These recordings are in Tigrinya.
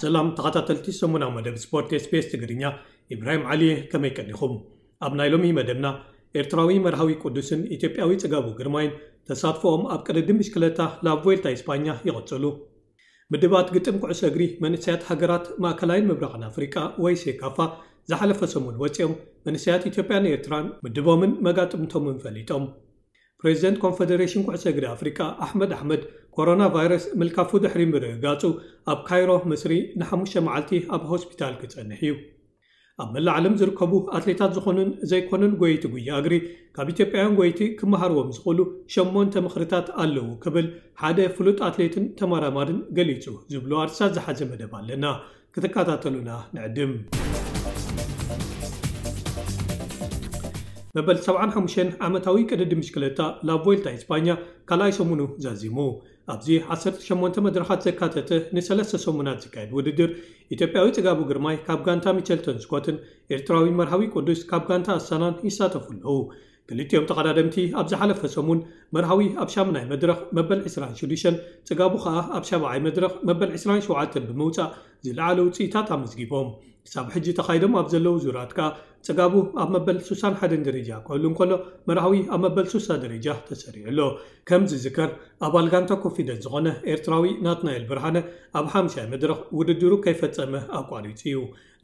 ሰላም ተኸታተልቲ ሰሙናዊ መደብ ስፖርት SBS ትግርኛ፣ ኢብራሂም ዓሊ እየ። ከመይ ቀኒኹም? ኣብ ናይ ሎሚ መደብና፣ ኤርትራዊ መርሃዊ ቅዱስን ኢትዮጵያዊ ጽጋቡ ግርማይን ተሳትፎኦም ኣብ ቅድድም ብሽክለታ ላብ ቮልታ ኢስፓኛ ይቕጽሉ። ምድባት ግጥም ኩዕሶ እግሪ መንእሰያት ሃገራት ማእከላይን ምብራቕን ኣፍሪቃ ወይ ሴካፋ ዝሓለፈ ሰሙን ወጺኦም፣ መንእሰያት ኢትዮጵያን ኤርትራን ምድቦምን መጋጥምቶምን ፈሊጦም። ፕሬዚደንት ኮንፈደሬሽን ኩዕሶ እግሪ ኣፍሪቃ ኣሕመድ ኣሕመድ፣ ኮሮና ቫይረስ ምልካፉ ድሕሪ ምርግጋጹ፣ ኣብ ካይሮ ምስሪ ንሓሙሽተ መዓልቲ ኣብ ሆስፒታል ክጸንሕ እዩ። ኣብ መላእ ዓለም ዝርከቡ ኣትሌታት ዝኾኑን ዘይኮኑን ጎየይቲ ጉያ እግሪ፣ ካብ ኢትዮጵያውያን ጎየይቲ ክመሃርዎም ዝኽእሉ ሸሞንተ ምኽርታት ኣለዉ ክብል ሓደ ፍሉጥ ኣትሌትን ተመራማርን ገሊጹ ዝብሉ ኣርእስታት ዝሓዘ መደብ ኣለና። ክትከታተሉና ንዕድም። መበል ሰብዓን ሓሙሽተን ዓመታዊ ቅድድም ብሽክለታ ላብ ቮልታ ኢስፓኛ ካልኣይ ሰሙኑ ዛዚሙ። ኣብዚ ዓሰርተ ሸሞንተ መድረኻት ዘካተተ ንሰለስተ ሰሙናት ዝካየድ ውድድር፣ ኢትዮጵያዊ ጽጋቡ ግርማይ ካብ ጋንታ ሚቸልተን ስኮትን ኤርትራዊ መርሃዊ ቅዱስ ካብ ጋንታ ኣሳናን ይሳተፉ ኣለዉ። ክልቲኦም ተቐዳደምቲ ኣብ ዝሓለፈ ሰሙን መርሃዊ ኣብ ሻምናይ መድረኽ መበል ዕስራን ሽዱሽተን፣ ጽጋቡ ከኣ ኣብ ሻብዓይ መድረኽ መበል ዕስራን ሸውዓተን ብምውጻእ ዝለዓለ ውጽኢታት ኣመዝጊቦም። ክሳብ ሕጂ ተኻይዶም ኣብ ዘለዉ ዙራት ከኣ ጽጋቡ ኣብ መበል ሱሳን ሓደን ደረጃ ክህሉ እንከሎ፣ መርሃዊ ኣብ መበል ሱሳ ደረጃ ተሰሪዑ ኣሎ። ከም ዝዝከር፣ ኣባል ጋንታ ኮንፊደንስ ዝኾነ ኤርትራዊ ናትናኤል ብርሃነ ኣብ ሓምሻይ መድረኽ ውድድሩ ከይፈጸመ ኣቋሪጹ እዩ።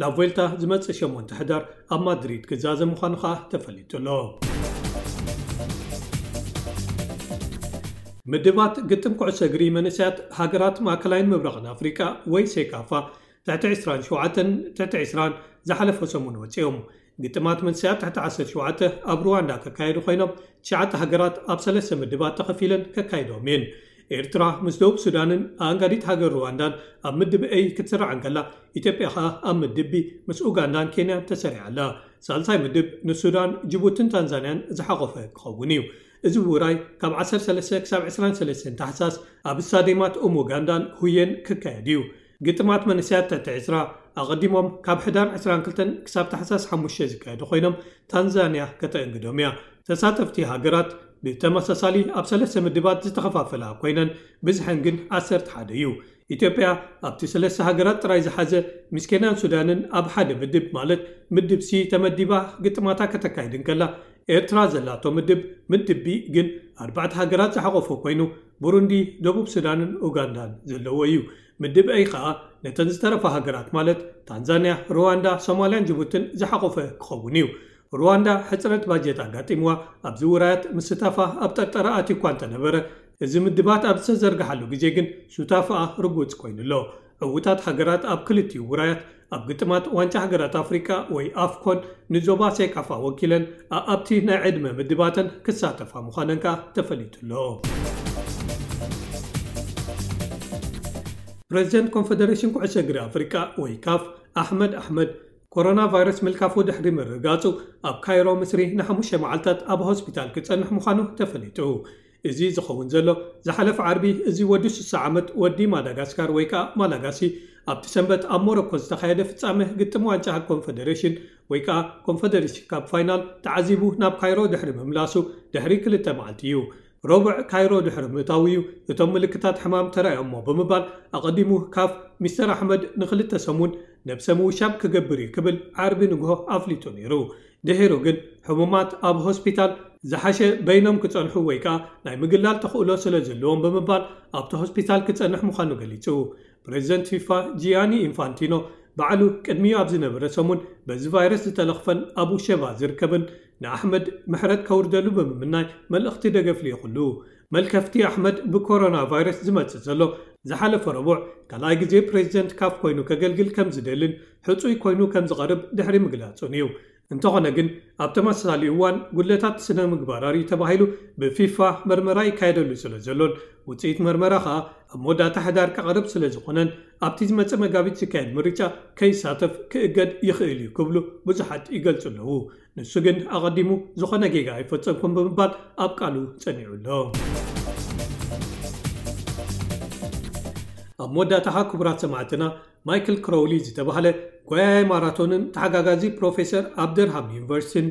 ላብ ቮልታ ዝመጽእ ሸሞንተ ሕዳር ኣብ ማድሪድ ክዛዘም ምዃኑ ከኣ ተፈሊጡ ኣሎ። ምድባት ግጥም ኩዕሶ እግሪ መንእሰያት ሃገራት ማእከላይን ምብራቕን ኣፍሪቃ ወይ ሴካፋ ትሕቲ ዕስራን ሸውዓተን ትሕቲ ዕስራን ዝሓለፈ ሰሙን ወጺኦም። ግጥማት መንእሰያት ትሕቲ ዓሰርተ ሸውዓተ ኣብ ሩዋንዳ ከካየዱ ኮይኖም፣ ትሽዓተ ሃገራት ኣብ ሰለስተ ምድባት ተኸፊለን ከካይዶም እየን። ኤርትራ ምስ ደቡብ ሱዳንን ኣኣንጋዲት ሃገር ሩዋንዳን ኣብ ምድብ ኤይ ክትስራዕ እንከላ፣ ኢትዮጵያ ኸኣ ኣብ ምድብ ቢ ምስ ኡጋንዳን ኬንያን ተሰሪዓ ኣላ። ሳልሳይ ምድብ ንሱዳን፣ ጅቡትን ታንዛንያን ዝሓቖፈ ክኸውን እዩ። እዚ ውራይ ካብ ዓሰርተ ሰለስተ ክሳብ ዕስራን ሰለስተን ታሕሳስ ኣብ ስታዲየማት ኡም ኡጋንዳን ሁየን ክካየድ እዩ። ግጥማት መንእሰያት ትሕቲ ዕስራ ኣቐዲሞም ካብ ሕዳር ዕስራን ክልተን ክሳብ ታሕሳስ ሓሙሽተ ዝካየዱ ኮይኖም፣ ታንዛንያ ከተእንግዶም እያ። ተሳተፍቲ ሃገራት ብተመሳሳሊ ኣብ ሰለስተ ምድባት ዝተኸፋፈላ ኮይነን፣ ብዝሐን ግን ዓሰርተ ሓደ እዩ። ኢትዮጵያ ኣብቲ ሰለስተ ሃገራት ጥራይ ዝሓዘ፣ ምስ ኬንያን ሱዳንን ኣብ ሓደ ምድብ፣ ማለት ምድብ ሲ ተመዲባ ግጥማታ ከተካይድ እንከላ፣ ኤርትራ ዘላቶ ምድብ፣ ምድብ ቢ ግን ኣርባዕተ ሃገራት ዝሓቖፈ ኮይኑ፣ ቡሩንዲ፣ ደቡብ ሱዳንን ኡጋንዳን ዘለዎ እዩ። ምድብ ኤይ ኸኣ ነተን ዝተረፋ ሃገራት፣ ማለት ታንዛንያ፣ ሩዋንዳ፣ ሶማልያን ጅቡትን ዝሓቖፈ ክኸውን እዩ። ሩዋንዳ ሕጽረት ባጀት ኣጋጢምዋ ኣብዚ ውራያት ምስታፋ ኣብ ጠርጠራ ኣትዩ እኳ እንተነበረ፣ እዚ ምድባት ኣብ ዝተዘርግሓሉ ግዜ ግን ሱታፍኣ ርጉጽ ኮይኑ ኣሎ። ዕዉታት ሃገራት ኣብ ክልቲኡ ውራያት ኣብ ግጥማት ዋንጫ ሃገራት ኣፍሪቃ ወይ ኣፍኮን ንዞባ ሴካፋ ወኪለን ኣኣብቲ ናይ ዕድመ ምድባተን ክሳተፋ ምዃነን ከኣ ተፈሊጡ ኣሎ። ፕሬዚደንት ኮንፈደሬሽን ኩዕሶ እግሪ ኣፍሪቃ ወይ ካፍ ኣሕመድ ኣሕመድ፣ ኮሮና ቫይረስ ምልካፉ ድሕሪ ምርጋጹ፣ ኣብ ካይሮ ምስሪ ንሓሙሽተ መዓልታት ኣብ ሆስፒታል ክጸንሕ ምዃኑ ተፈሊጡ። እዚ ዝኸውን ዘሎ፣ ዝሓለፈ ዓርቢ እዚ ወዲ ስሳ ዓመት ወዲ ማዳጋስካር ወይ ከኣ ማላጋሲ፣ ኣብቲ ሰንበት ኣብ ሞሮኮ ዝተኻየደ ፍጻመ ግጥም ዋንጫ ኮንፈደሬሽን ወይ ከኣ ኮንፈደሬሽን ካፕ ፋይናል ተዓዚቡ ናብ ካይሮ ድሕሪ ምምላሱ ድሕሪ ክልተ መዓልቲ እዩ። ረቡዕ ካይሮ ድሕሪ ምእታዉ እዩ እቶም ምልክታት ሕማም ተራእዮሞ ብምባል፣ ኣቐዲሙ ካፍ ሚስተር ኣሕመድ ንኽልተ ሰሙን ነብሰ ምውሻብ ክገብር እዩ ክብል ዓርቢ ንግሆ ኣፍሊጡ ነይሩ። ድሒሩ ግን ሕሙማት ኣብ ሆስፒታል ዝሓሸ በይኖም ክጸንሑ ወይ ከኣ ናይ ምግላል ተኽእሎ ስለ ዘለዎም ብምባል ኣብቲ ሆስፒታል ክጸንሕ ምዃኑ ገሊጹ። ፕሬዚደንት ፊፋ ጂያኒ ኢንፋንቲኖ ባዕሉ ቅድሚኡ ኣብ ዝነበረ ሰሙን በዚ ቫይረስ ዝተለኽፈን ኣብ ውሸባ ዝርከብን ንኣሕመድ ምሕረት ከውርደሉ ብምምናይ መልእኽቲ ደገፍ ልኢኹሉ። መልከፍቲ ኣሕመድ ብኮሮና ቫይረስ ዝመጽእ ዘሎ ዝሓለፈ ረቡዕ ካልኣይ ግዜ ፕሬዚደንት ካፍ ኮይኑ ከገልግል ከም ዝደልን ሕጹይ ኮይኑ ከም ዝቐርብ ድሕሪ ምግላጹን እዩ። እንተኾነ ግን፣ ኣብ ተመሳሳሊ እዋን ጉድለታት ስነ ምግባር ኣርእዩ ተባሂሉ ብፊፋ መርመራ ይካየደሉ ስለ ዘሎን፣ ውጽኢት መርመራ ኸኣ ኣብ መወዳእታ ሕዳር ክቐርብ ስለ ዝኾነን፣ ኣብቲ ዝመጽእ መጋቢት ዝካየድ ምርጫ ከይሳተፍ ክእገድ ይኽእል እዩ ክብሉ ብዙሓት ይገልጹ ኣለዉ። ንሱ ግን ኣቐዲሙ ዝኾነ ጌጋ ኣይፈጸምኩን ብምባል ኣብ ቃሉ ጸኒዑ ኣሎ። ኣብ መወዳእታ ኸኣ ክቡራት ሰማዕትና፣ ማይክል ክሮውሊ ዝተባህለ ጎያያይ ማራቶንን ተሓጋጋዚ ፕሮፌሰር ኣብ ደርሃም ዩኒቨርሲቲን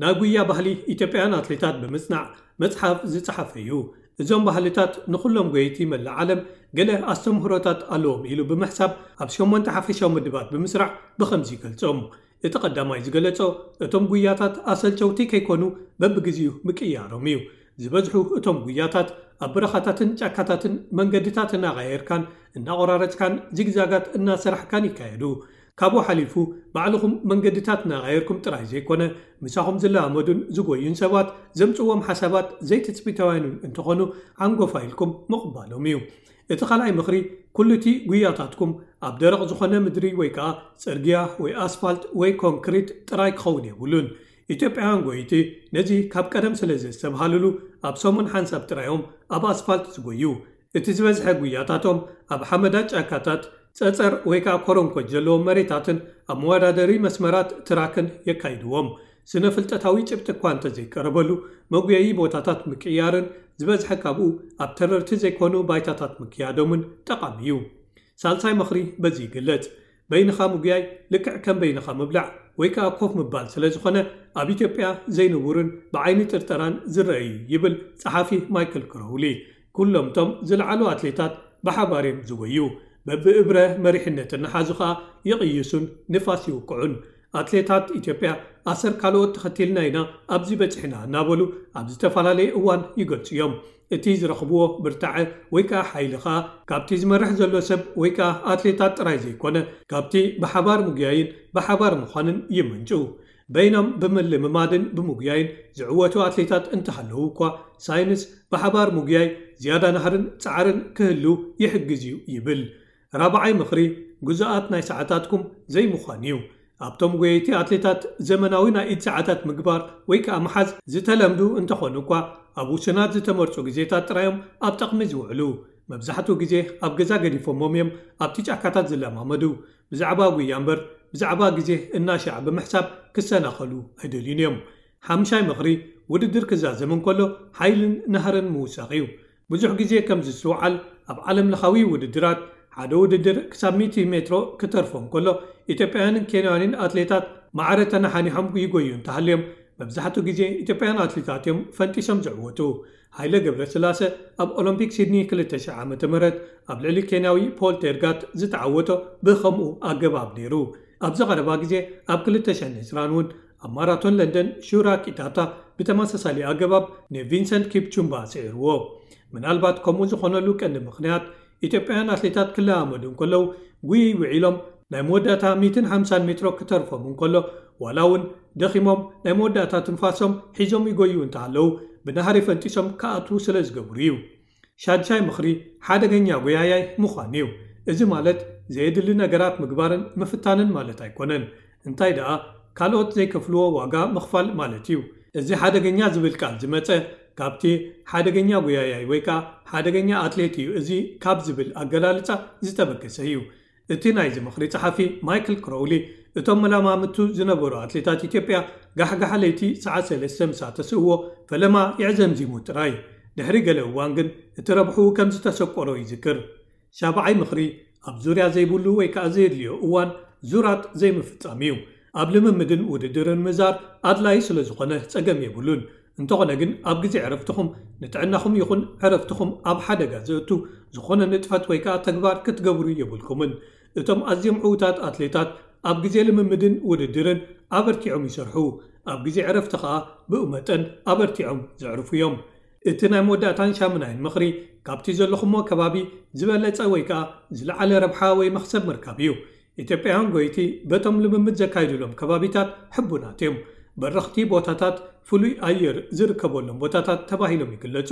ናይ ጉያ ባህሊ ኢትዮጵያውያን ኣትሌታት ብምጽናዕ መጽሓፍ ዝጸሓፈ እዩ። እዞም ባህልታት ንኹሎም ጎየይቲ መላእ ዓለም ገለ ኣስተምህሮታት ኣለዎም ኢሉ ብምሕሳብ፣ ኣብ ሸሞንተ ሓፈሻዊ ምድባት ብምስራዕ ብኸምዚ ይገልጾም። እቲ ቀዳማይ ዝገለጾ፣ እቶም ጉያታት ኣሰልቸውቲ ከይኮኑ በብግዜኡ ምቅያሮም እዩ። ዝበዝሑ እቶም ጉያታት ኣብ በረኻታትን ጫካታትን መንገድታት እናቐያየርካን እናቖራረጽካን ዚግዛጋት እናሰራሕካን ይካየዱ። ካብኡ ሓሊፉ፣ ባዕልኹም መንገድታት እናቐያየርኩም ጥራይ ዘይኮነ፣ ምሳኹም ዝለማመዱን ዝጎዩን ሰባት ዘምጽዎም ሓሳባት ዘይትጽቢታውያንን እንተኾኑ፣ ዓንጎፋ ኢልኩም ምቕባሎም እዩ። እቲ ካልኣይ ምኽሪ፣ ኩሉ እቲ ጉያታትኩም ኣብ ደረቕ ዝኾነ ምድሪ ወይ ከኣ ጽርግያ ወይ ኣስፋልት ወይ ኮንክሪት ጥራይ ክኸውን የብሉን። ኢትዮጵያውያን ጎይቲ ነዚ ካብ ቀደም ስለ ዘስተብሃልሉ፣ ኣብ ሰሙን ሓንሳብ ጥራዮም ኣብ ኣስፋልት ዝጎዩ። እቲ ዝበዝሐ ጉያታቶም ኣብ ሓመዳ ጫካታት፣ ጸጸር ወይ ከኣ ኮረንኮች ዘለዎም መሬታትን ኣብ መወዳደሪ መስመራት ትራክን የካይድዎም። ስነ ፍልጠታዊ ጭብጢ እኳ እንተዘይቀረበሉ፣ መጉየዪ ቦታታት ምቅያርን ዝበዝሐ ካብኡ ኣብ ተረርቲ ዘይኮኑ ባይታታት ምክያዶምን ጠቓሚ እዩ። ሳልሳይ ምኽሪ በዚ ይግለጽ። በይንኻ ምጉያይ ልክዕ ከም በይንኻ ምብላዕ ወይ ከኣ ኮፍ ምባል ስለ ዝኾነ፣ ኣብ ኢትዮጵያ ዘይንቡርን ብዓይኒ ጥርጠራን ዝረአ እዩ ይብል ጸሓፊ ማይክል ክሮውሊ። ኩሎም እቶም ዝለዓሉ ኣትሌታት ብሓባር እዮም ዝጎዩ። በብእብረ መሪሕነት እናሓዙ ከኣ ይቕይሱን ንፋስ ይውቅዑን። ኣትሌታት ኢትዮጵያ ኣሰር ካልኦት ተኸቲልና ኢና ኣብዚ በጺሕና እናበሉ ኣብ ዝተፈላለየ እዋን ይገልጹ እዮም። እቲ ዝረኽብዎ ብርታዐ ወይ ከኣ ሓይሊ ከኣ ካብቲ ዝመርሕ ዘሎ ሰብ ወይ ከኣ ኣትሌታት ጥራይ ዘይኮነ፣ ካብቲ ብሓባር ምጉያይን ብሓባር ምዃንን ይምንጩ። በይኖም ብምልምማድን ብምጉያይን ዝዕወቱ ኣትሌታት እንተሃለዉ እኳ፣ ሳይንስ ብሓባር ምጉያይ ዝያዳ ናህርን ጻዕርን ክህሉ ይሕግዝ እዩ ይብል። ራብዓይ ምኽሪ፣ ግዙኣት ናይ ሰዓታትኩም ዘይምዃን እዩ። ኣብቶም ጎየይቲ ኣትሌታት ዘመናዊ ናይ ኢድ ሰዓታት ምግባር ወይ ከኣ ምሓዝ ዝተለምዱ እንተኾኑ እኳ፣ ኣብ ውሱናት ዝተመርጹ ግዜታት ጥራዮም ኣብ ጥቕሚ ዝውዕሉ። መብዛሕትኡ ግዜ ኣብ ገዛ ገዲፎሞም እዮም ኣብቲ ጫካታት ዝለማመዱ። ብዛዕባ ጉያ እምበር ብዛዕባ ግዜ እናሻዕ ብምሕሳብ ክሰናኸሉ ኣይደልዩን እዮም። ሓምሻይ ምኽሪ፣ ውድድር ክዛዘም እንከሎ ሓይልን ናህርን ምውሳኽ እዩ። ብዙሕ ግዜ ከም ዝስተውዓል፣ ኣብ ዓለም ለኻዊ ውድድራት ሓደ ውድድር ክሳብ ሚእቲ ሜትሮ ክተርፎ እንከሎ፣ ኢትዮጵያውያንን ኬንያውያንን ኣትሌታት ማዕረ ተነሓኒሖም ይጎዩ እንተሃልዮም፣ መብዛሕትኡ ግዜ ኢትዮጵያውያን ኣትሌታት እዮም ፈንጢሶም ዝዕወቱ። ሃይለ ገብረስላሰ ኣብ ኦሎምፒክ ሲድኒ ክልተ ሽሕ ዓመተ ምህረት ኣብ ልዕሊ ኬንያዊ ፖል ቴርጋት ዝተዓወቶ ብኸምኡ ኣገባብ ነይሩ። ኣብዚ ቀረባ ግዜ ኣብ ክልተ ሽሕን ዕስራን እውን ኣብ ማራቶን ለንደን ሹራ ኪታታ ብተመሳሳሊ ኣገባብ ንቪንሰንት ኪፕቹምባ ስዒርዎ። ምናልባት ከምኡ ዝኾነሉ ቀንዲ ምኽንያት፣ ኢትዮጵያውያን ኣትሌታት ክለማመዱ እንከለዉ ጉይይ ውዒሎም ናይ መወዳእታ ሚእትን ሓምሳን ሜትሮ ክተርፎም እንከሎ፣ ዋላ እውን ደኺሞም ናይ መወዳእታ ትንፋሶም ሒዞም ይጎዩ እንተሃለዉ፣ ብናህሪ ፈንጢሶም ክኣትዉ ስለ ዝገብሩ እዩ። ሻድሻይ ምኽሪ ሓደገኛ ጎያያይ ምዃን እዩ። እዚ ማለት ዘየድሊ ነገራት ምግባርን ምፍታንን ማለት ኣይኮነን። እንታይ ደኣ፣ ካልኦት ዘይከፍልዎ ዋጋ ምኽፋል ማለት እዩ። እዚ ሓደገኛ ዝብል ቃል ዝመጸ ካብቲ ሓደገኛ ጎያያይ ወይ ከኣ ሓደገኛ ኣትሌት እዩ እዚ ካብ ዝብል ኣገላልጻ ዝተበገሰ እዩ። እቲ ናይዚ ምኽሪ ጸሓፊ ማይክል ክሮውሊ፣ እቶም መላማምቱ ዝነበሩ ኣትሌታት ኢትዮጵያ ጋሕጋሕ ለይቲ ሰዓት ሰለስተ ምሳ ተስእዎ ፈለማ የዕዘምዚሙ ጥራይ። ድሕሪ ገለ እዋን ግን እቲ ረብሕኡ ከም ዝተሰቆሮ ይዝክር። ሻብዓይ ምኽሪ ኣብ ዙርያ ዘይብሉ ወይ ከኣ ዘየድልዮ እዋን ዙራት ዘይምፍጻም እዩ። ኣብ ልምምድን ውድድርን ምዛር ኣድላዪ ስለ ዝኾነ ጸገም የብሉን። እንተኾነ ግን ኣብ ግዜ ዕረፍትኹም ንጥዕናኹም ይኹን ዕረፍትኹም ኣብ ሓደጋ ዘእቱ ዝኾነ ንጥፈት ወይ ከኣ ተግባር ክትገብሩ የብልኩምን። እቶም ኣዝዮም ዕዉታት ኣትሌታት ኣብ ግዜ ልምምድን ውድድርን ኣበርቲዖም ይሰርሑ። ኣብ ግዜ ዕረፍቲ ከኣ ብኡ መጠን ኣበርቲዖም ዘዕርፉ እዮም። እቲ ናይ መወዳእታን ሻምናይን ምኽሪ፣ ካብቲ ዘለኹሞ ከባቢ ዝበለጸ ወይ ከኣ ዝለዓለ ረብሓ ወይ መኽሰብ ምርካብ እዩ። ኢትዮጵያውያን ጎይቲ በቶም ልምምድ ዘካይዱሎም ከባቢታት ሕቡናት እዮም። በረኽቲ ቦታታት፣ ፍሉይ ኣየር ዝርከበሎም ቦታታት ተባሂሎም ይግለጹ።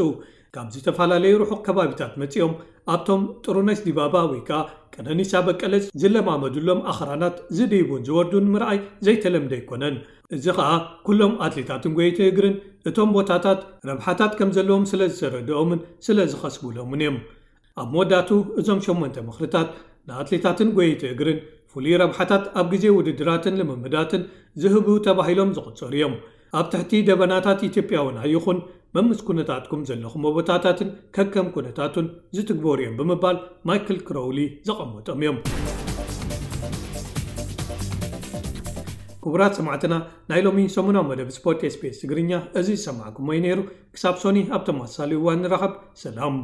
ካብ ዝተፈላለዩ ርሑቕ ከባቢታት መጺኦም ኣብቶም ጥሩነሽ ዲባባ ወይ ከኣ ቀነኒሳ በቀለ ዝለማመዱሎም ኣኽራናት ዝድይቡን ዝወርዱን ምርኣይ ዘይተለምደ ኣይኮነን። እዚ ኸኣ ኩሎም ኣትሌታትን ጎየይቲ እግርን እቶም ቦታታት ረብሓታት ከም ዘለዎም ስለ ዝተረድኦምን ስለ ዝኸስቡሎምን እዮም። ኣብ መወዳእቱ እዞም ሸሞንተ ምኽርታት ንኣትሌታትን ጎየይቲ እግርን ፍሉይ ረብሓታት ኣብ ግዜ ውድድራትን ልምምዳትን ዝህቡ ተባሂሎም ዝቑጸሩ እዮም። ኣብ ትሕቲ ደበናታት ኢትዮጵያ እውን ኣይኹን መምስ ኩነታትኩም ዘለኹም ቦታታትን ከከም ኩነታቱን ዝትግበሩ እዮም ብምባል ማይክል ክሮውሊ ዘቐመጦም እዮም። ክቡራት ሰማዕትና፣ ናይ ሎሚ ሰሙናዊ መደብ ስፖርት ኤስቢኤስ ትግርኛ እዚ ዝሰማዕኩሞ እዩ ነይሩ። ክሳብ ሶኒ ኣብ ተመሳሳሊ እዋን ንራኸብ። ሰላም።